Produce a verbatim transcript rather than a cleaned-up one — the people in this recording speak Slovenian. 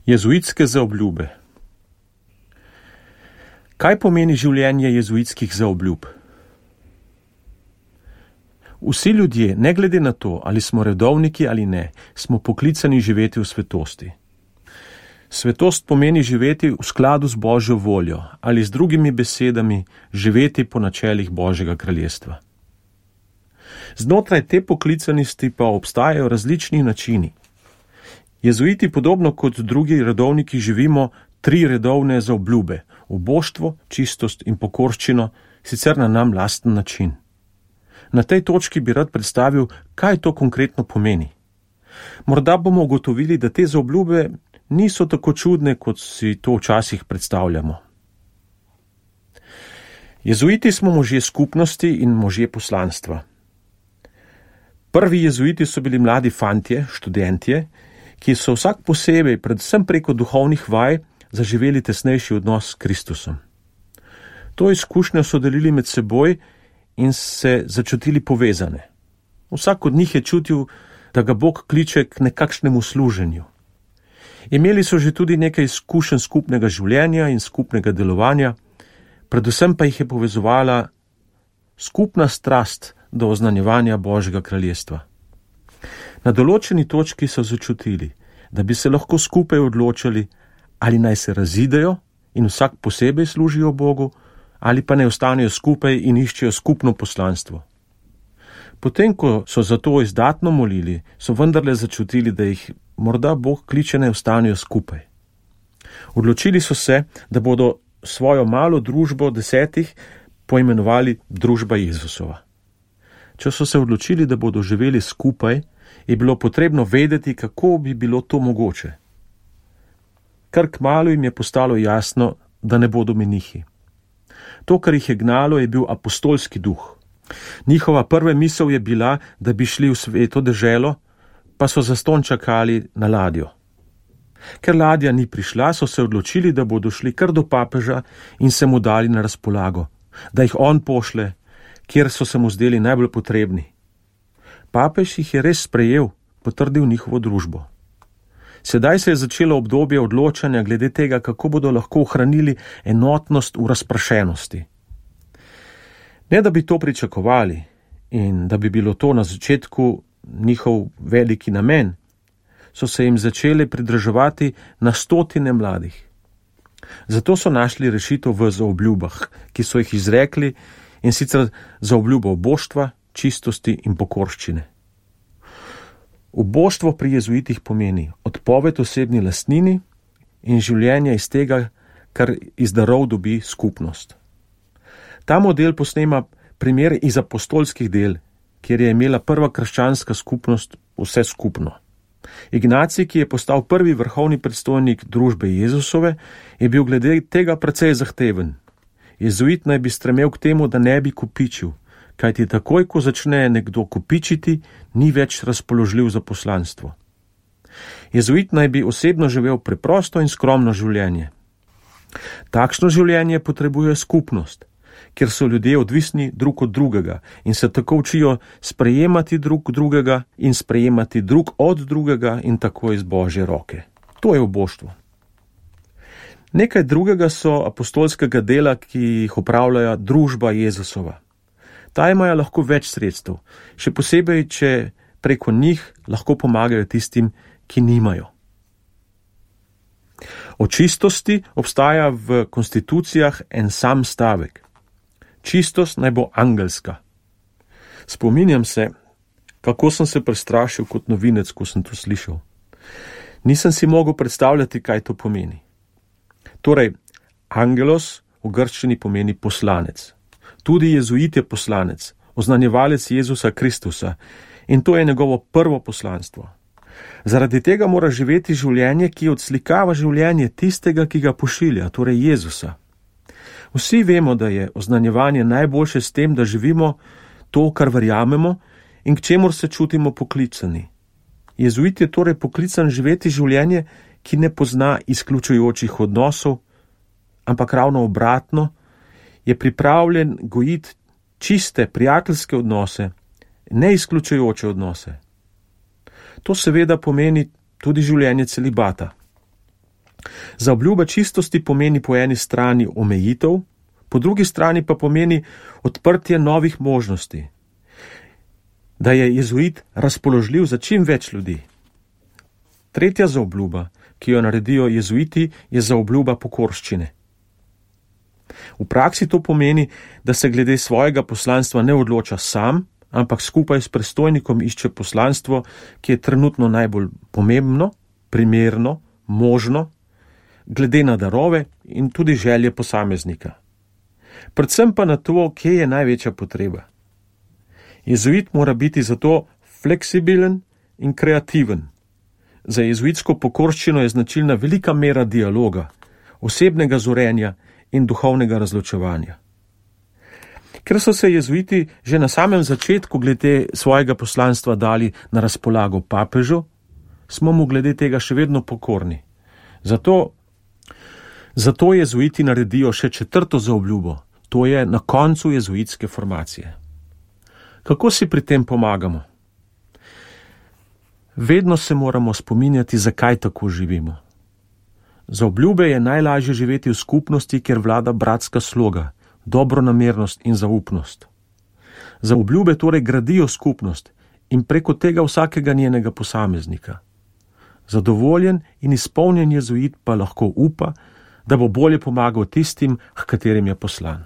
Jezuitske zaobljube. Kaj pomeni življenje jezuitskih zaobljub? Vsi ljudje, ne glede na to, ali smo redovniki ali ne, smo poklicani živeti v svetosti. Svetost pomeni živeti v skladu z Božjo voljo ali z drugimi besedami živeti po načelih Božjega kraljestva. Znotraj te poklicanosti pa obstajajo različni načini. Jezuiti podobno kot drugi redovniki živimo tri redovne zaobljube: uboštvo, čistost in pokorščino, sicer na nam lasten način. Na tej točki bi rad predstavil, kaj to konkretno pomeni. Morda bomo ugotovili, da te zaobljube niso tako čudne, kot si to včasih predstavljamo. Jezuiti smo možje skupnosti in možje poslanstva. Prvi jezuiti so bili mladi fantje, študentje, ki so vsak posebej, predvsem preko duhovnih vaj, zaživeli tesnejši odnos s Kristusom. To izkušnjo so delili med seboj in se začutili povezane. Vsak od njih je čutil, da ga Bog kliče k nekakšnemu služenju. Imeli so že tudi nekaj izkušenj skupnega življenja in skupnega delovanja, predvsem pa jih je povezovala skupna strast do oznanjevanja Božjega kraljestva. Na določeni točki so začutili, da bi se lahko skupaj odločili, ali naj se razidejo in vsak posebej služijo Bogu, ali pa naj ostanejo skupaj in iščejo skupno poslanstvo. Potem, ko so za to izdatno molili, so vendarle začutili, da jih morda Bog kliče naj ostanejo skupaj. Odločili so se, da bodo svojo malo družbo desetih poimenovali družba Jezusova. Če so se odločili, da bodo živeli skupaj, je bilo potrebno vedeti, kako bi bilo to mogoče. Kar kmalu jim je postalo jasno, da ne bodo menihi. To, kar jih je gnalo, je bil apostolski duh. Njihova prva misel je bila, da bi šli v sveto deželo, pa so zastonj čakali na ladjo. Ker ladja ni prišla, so se odločili, da bodo šli kar do papeža in se mu dali na razpolago, da jih on pošle, kjer so se mu zdeli najbolj potrebni. Papež jih je res sprejel, potrdil njihovo družbo. Sedaj se je začelo obdobje odločanja glede tega, kako bodo lahko ohranili enotnost v razprašenosti. Ne da bi to pričakovali in da bi bilo to na začetku njihov veliki namen, so se jim začeli pridruževati na stotine mladih. Zato so našli rešitev v zaobljubah, ki so jih izrekli, in sicer zaobljubo uboštva, čistosti in pokorščine. Uboštvo pri jezuitih pomeni odpoved osebni lastnini in življenje iz tega, kar iz darov dobi skupnost. Ta model posnema primer iz apostolskih del, kjer je imela prva krščanska skupnost vse skupno. Ignacij, ki je postal prvi vrhovni predstojnik družbe Jezusove, je bil glede tega precej zahteven. Jezuit naj bi stremel k temu, da ne bi kopičil, kajti takoj, ko začne nekdo kopičiti, ni več razpoložljiv za poslanstvo. Jezuit naj bi osebno živel preprosto in skromno življenje. Takšno življenje potrebuje skupnost, kjer so ljudje odvisni drug od drugega in se tako učijo sprejemati drug drugega in sprejemati drug od drugega in tako iz Božje roke. To je uboštvo. Nekaj drugega so apostolskega dela, ki jih opravljajo družba Jezusova. Ta imajo lahko več sredstev, še posebej, če preko njih lahko pomagajo tistim, ki nimajo. O čistosti obstaja v konstitucijah en sam stavek. Čistost naj bo angelska. Spominjam se, kako sem se prestrašil kot novinec, ko sem to slišal. Nisem si mogel predstavljati, kaj to pomeni. Torej, angelos v grščini pomeni poslanec. Tudi jezuit je poslanec, oznanjevalec Jezusa Kristusa, in to je njegovo prvo poslanstvo. Zaradi tega mora živeti življenje, ki odslikava življenje tistega, ki ga pošilja, torej Jezusa. Vsi vemo, da je oznanjevanje najboljše s tem, da živimo to, kar verjamemo in k čemur se čutimo poklicani. Jezuit je torej poklican živeti življenje, ki ne pozna izključujočih odnosov, ampak ravno obratno, je pripravljen gojiti čiste, prijateljske odnose, ne izključujoče odnose. To seveda pomeni tudi življenje celibata. Zaobljuba čistosti pomeni po eni strani omejitev, po drugi strani pa pomeni odprtje novih možnosti, da je jezuit razpoložljiv za čim več ljudi. Tretja zaobljuba, ki jo naredijo jezuiti, je zaobljuba pokorščine. V praksi to pomeni, da se glede svojega poslanstva ne odloča sam, ampak skupaj s predstojnikom išče poslanstvo, ki je trenutno najbolj pomembno, primerno, možno, glede na darove in tudi želje posameznika. Predvsem pa na to, kje je največja potreba. Jezuit mora biti zato fleksibilen in kreativen. Za jezuitsko pokorščino je značilna velika mera dialoga, osebnega zorenja in duhovnega razločevanja. Ker so se jezuiti že na samem začetku glede svojega poslanstva dali na razpolago papežu, smo mu glede tega še vedno pokorni. Zato, zato jezuiti naredijo še četrto zaobljubo, to je na koncu jezuitske formacije. Kako si pri tem pomagamo? Vedno se moramo spominjati, zakaj tako živimo. Za obljube je najlažje živeti v skupnosti, kjer vlada bratska sloga, dobronamernost in zaupnost. Za obljube torej gradijo skupnost in preko tega vsakega njenega posameznika. Zadovoljen in izpolnjen jezuit pa lahko upa, da bo bolje pomagal tistim, h katerim je poslan.